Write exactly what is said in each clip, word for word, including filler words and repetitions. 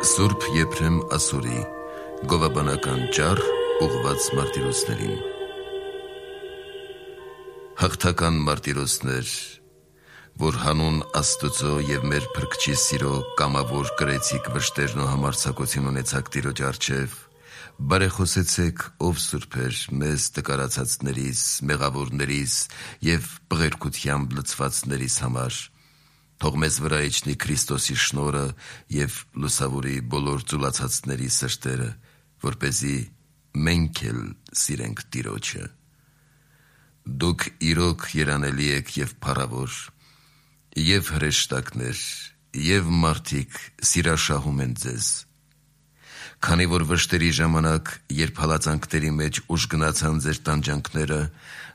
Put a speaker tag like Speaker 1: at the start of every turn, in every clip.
Speaker 1: Սուրբ Եփրեմ Ասորի գովաբանական ճառ ուղղված մարտիրոսներին։ Հաղթական մարտիրոսներ, որ հանուն Աստծո եւ մեր Փրկչի սիրո կամավոր կրեցիք վշտերն ու համարձակություն ունեցաք Տիրոջ առջև, բարեխոսեցեք, ով սուրբեր, մեզ տկարացածներիս, մեղավորներիս եւ բղերքությամբ լցվածներիս համար, թող մեզ վրա իջնի Քրիստոսի շնորհը եւ լուսավորի բոլոր ծուլացածների սրտերը, որպեսզի մենք էլ սիրենք Տիրոջը։ Դուք իրոք երանելի եք եւ փառավոր, եւ հրեշտակներ, եւ մարդիկ սիրաշահում են ձեզ։ Քանի որ վշտերի ժամանակ, երբ հալածանքների մեջ ուժ գնացան ձեր տանջանքները,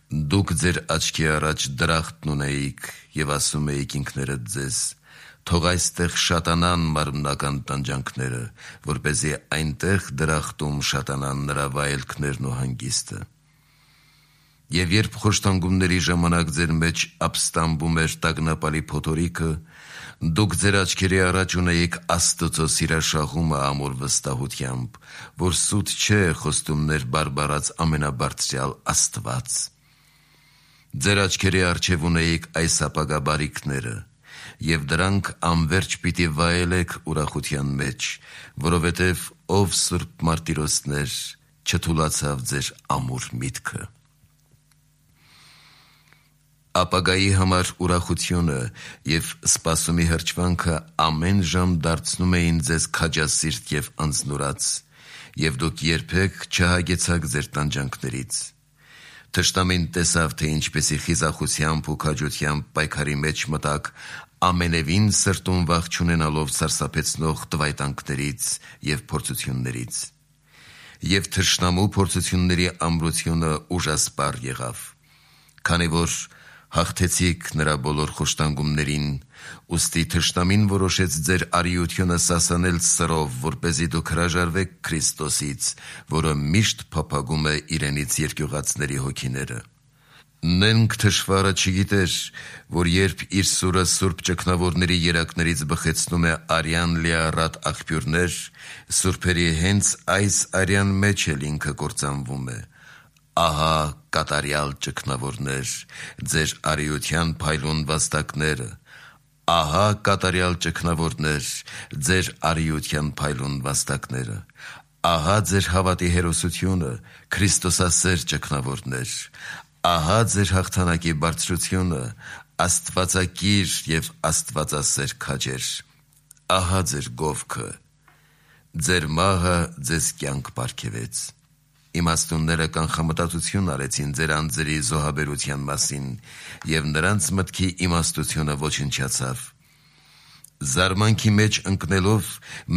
Speaker 1: դուք ձեր աչքի առաջ դրախտն ունեիք եւ ասում էիք ինքներդ ձեզ. թող այստեղ շատանան մարմնական տանջանքները, որպեսզի այնտեղ դրախտում շատանան նրա վայելքներն ու հանգիստը։ Եվ երբ խոշտանգումների ժամանակ ձեր մեջ ապստամբում էր տագնապալի փոթորիկը, դուք ձեր աչքերի առաջ ունեիք Աստծո սիրաշահումը ամուր վստահությամբ, որ սուտ չէ խոստումներ բարբարած ամենաբարձրյալ Աստված։ Ձեր աչքերի առջև ունեիք այս ապագա բարիքները, եւ դրանք անverջ պիտի վայելեք ուրախության մեջ, որովհետեւ ով սուրբ մարտիրոսներ չթուլացավ ձեր ամուր միտքը։ Ապագայի համար ուրախությունը եւ սպասումի հրճվանքը ամեն ժամ դարձնում էին ձեզ քաջասիրտ եւ անձնուրաց, եւ դուք երբեք չհագեցաք ձեր տանջանքներից։ Թշնամին տեսավ, թե ինչպեսի խիզախությամբ ու քաջությամբ պայքարի մեջ մտակ, ամենևին սրտում վախ չունենալով սարսափեցնող տվայտանքներից եւ փորձություններից։ Եվ թշնամու փորձությունների ամրությունը ուժասպառ եղավ, քանի որ հաղթեցիք նրա բոլոր խոշտանգումներին, ուստի թշնամին որոշեց ձեր արիությունը սասանել սրով, որպեսզի դուք հրաժարվեք Քրիստոսից, որը միշտ փափագում է իրենից երկյուղածների հոգիները։ Նենք թշվառը չգիտեր, որ երբ իր սուրը սուրբ ճգնավորների երակներից բխեցնում է արյան լիառատ աղբյուրներ, սուրբերի հենց այս արյան մեջ էլ ինքը կործանվում է։ Ահա կատարյալ ճգնավորներ, ձեր արիության փայլուն վաստակները, ահա կատարյալ ճգնավորներ, ձեր արիության փայլուն վաստակները, ահա ձեր հավատի հերոսությունը, Քրիստոսասեր ճգնավորներ, ահա ձեր հաղթանակի բարձրությունը, Աստվածակիր եւ Աստվածասեր քաջեր, ահա ձեր գովքը, ձեր մահը ձեզ կյանք պարգևեց։ Իմաստունները կանխամտածություն արեցին ձեր անձերի զոհաբերության մասին, եւ նրանց մտքի իմաստությունը ոչնչացավ։ Զարմանքի մեջ ընկնելով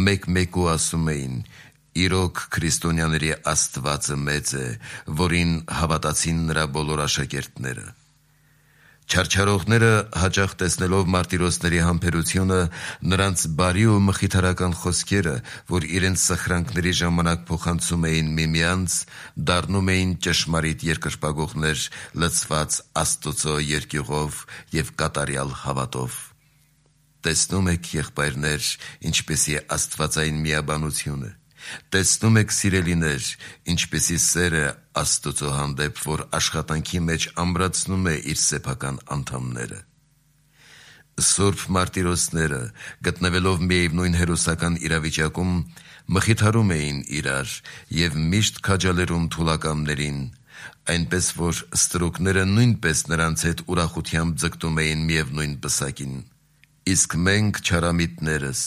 Speaker 1: մեկ-մեկու ասում էին. իրոք քրիստոնյաների Աստվածը մեծ է, որին հավատացին նրա բոլոր աշակերտները։ Չարչարողները հաճախ տեսնելով մարտիրոսների համբերությունը, նրանց բարի ու մխիթարական խոսքերը, որ իրենց սխրանքների ժամանակ փոխանցում էին միմյանց, դառնում էին ճշմարիտ երկրպագողներ, լցված Աստծո երկյուղով եւ կատարյալ հավատով։ Տեսնում եք, եղբայրներ, ինչպեսի աստվածային միաբանությունը։ Տեսնում եք, սիրելիներ, ինչպեսի սերը Աստծո հանդեպ, որ աշխատանքի մեջ ամրացնում է իր սեփական անդամները։ Սուրբ մարտիրոսները, գտնվելով միևնույն հերոսական իրավիճակում, մխիթարում էին իրար եւ միշտ քաջալերում թուլակամներին, այնպես որ ստրուկները նույնպես նրանց հետ ուրախությամբ ձգտում էին միևնույն պսակին։ Իսկ մենք չարամիտներս,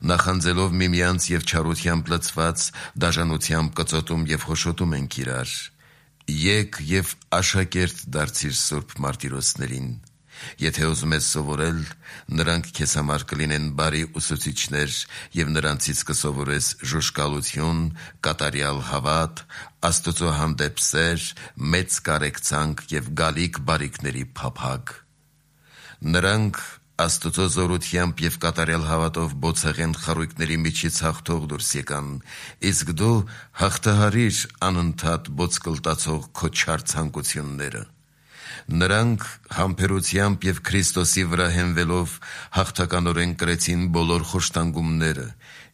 Speaker 1: նախանձելով միմյանց եւ չարությամբ լցված, դաժանությամբ կծոտում եւ խոշոտում ենք իրար։ Եկ եւ աշակերտ դարձիր սուրբ մարտիրոսներին։ Եթե ուզում ես սովորել, նրանք քեզ համար կլինեն բարի ուսուցիչներ եւ նրանցից կսովորես ժուժկալություն, կատարյալ հավատ, Աստծո հանդեպ սեր, մեծ կարեկցանք եւ գալիք բարիքների փափագ։ Նրանք Աստծո զորությամբ եւ կատարյալ հավատով բոցեղեն խարույկների միջից հաղթող դուրս եկան, իսկ դու հաղթահարիր անընդհատ բոցկլտացող քո չար ցանկությունները։ Նրանք համբերությամբ եւ Քրիստոսի վրա հենվելով հաղթականորեն կրեցին բոլոր խոշտանգումները,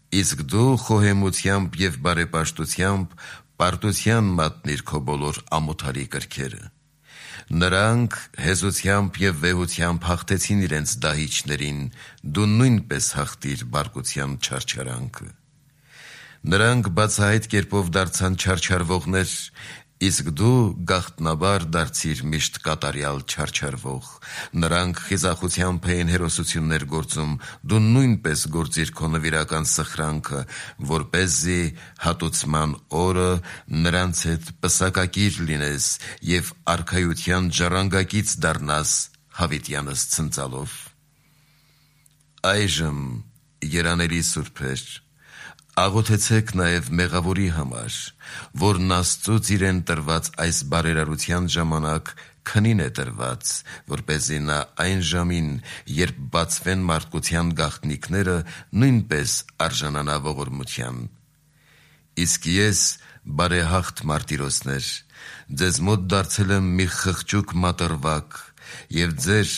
Speaker 1: իսկ դու խոհեմությամբ և բարեպաշտությամբ պարտության մատնիր քո բոլոր ամոթարի կրքերը։ Նրանք հեզությամբ և վեհությամբ հաղթեցին իրենց դահիճներին, դու նույնպես հաղթիր բարկության չարչարանքը։ Նրանք բացահայտ կերպով դարձան չարչարվողներ, իսկ դու գաղտնաբար դարձիր միշտ կատարյալ չարչարվող։ Նրանք խիզախությամբ էին հերոսություններ գործում, դու նույնպես գործիր քո նվիրական սխրանքը, որպեսզի հատուցման օրը նրանց հետ պսակակիր լինես և արքայության ժառանգակից դառնաս հավիտյանս ցնծալով։ Այժմ, երանելի սուրբեր, աղոթեցեք նաև մեղավորի համար, որն Աստծուց իրեն տրված այս բարերարության ժամանակ քնին է տրված, որպեսզի նա այն ժամին, երբ բացվեն մարդկության գաղտնիքները, նույնպես արժանանա ողորմության։ Իսկ ես, բարեհաղթ մարտիրոսներ, ձեզ մոտ դարձել եմ մի խղճուկ մատռվակ, և ձեր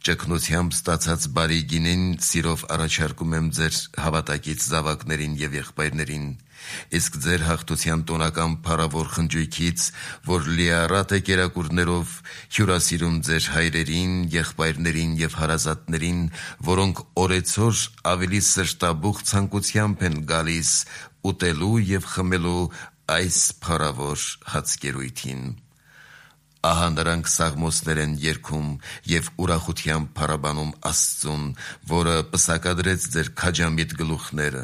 Speaker 1: ճգնությամբ ստացած բարի գինին սիրով առաջարկում եմ ձեր հավատակից զավակներին և եղբայրներին, իսկ ձեր հաղթության տոնական փառավոր խնջույքից, որ լիառատ է կերակուրներով, հյուրասիրում ձեր հայրերին, եղբայրներին և հարազատներին, որոնք օրեցօր ավելի սրտաբուխ ցանկությամբ են գալիս ուտելու և խմելու այս փառավոր հացկերույթին։ Ահա նրանք սաղմոսներ են երգում և ուրախությամբ փառաբանում Աստծուն, որը պսակադրեց ձեր քաջամիտ գլուխները,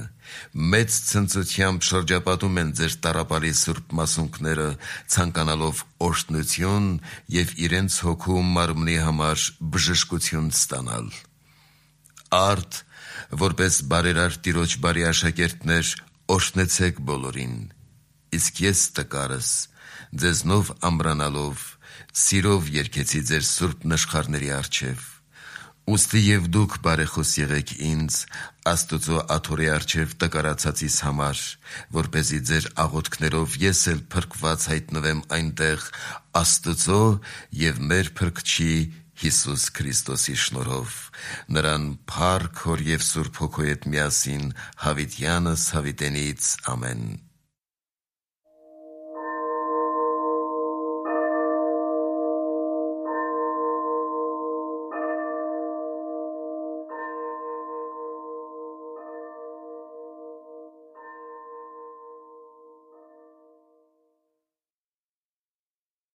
Speaker 1: մեծ ցնծությամբ շրջապատում են ձեր տառապալի սուրբ մասունքները, ցանկանալով օրհնություն և իրենց հոգու ու մարմնի համար բժշկություն ստանալ։ Արդ, որպես բարերար Տիրոջ բարի աշակերտներ, օրհնեցեք բոլորին, իսկ ես տկարս, ձեզնով ամրանալով, սիրով երգեցի ձեր սուրբ նշխարների առջև։ Ուստի և դուք բարեխոս եղեք ինձ, Աստուծո աթոռի առջև տկարացածիս համար, որպեսզի ձեր աղոթքներով ես էլ փրկված հայտնվեմ այնտեղ Աստծո և մեր Փրկչի Հիսուս Քրիստոսի շնորհով։ Նրան փառք, Հոր և Սուրբ Հոգու հետ միասին, հավիտյանս հավիտենից։ Ամեն։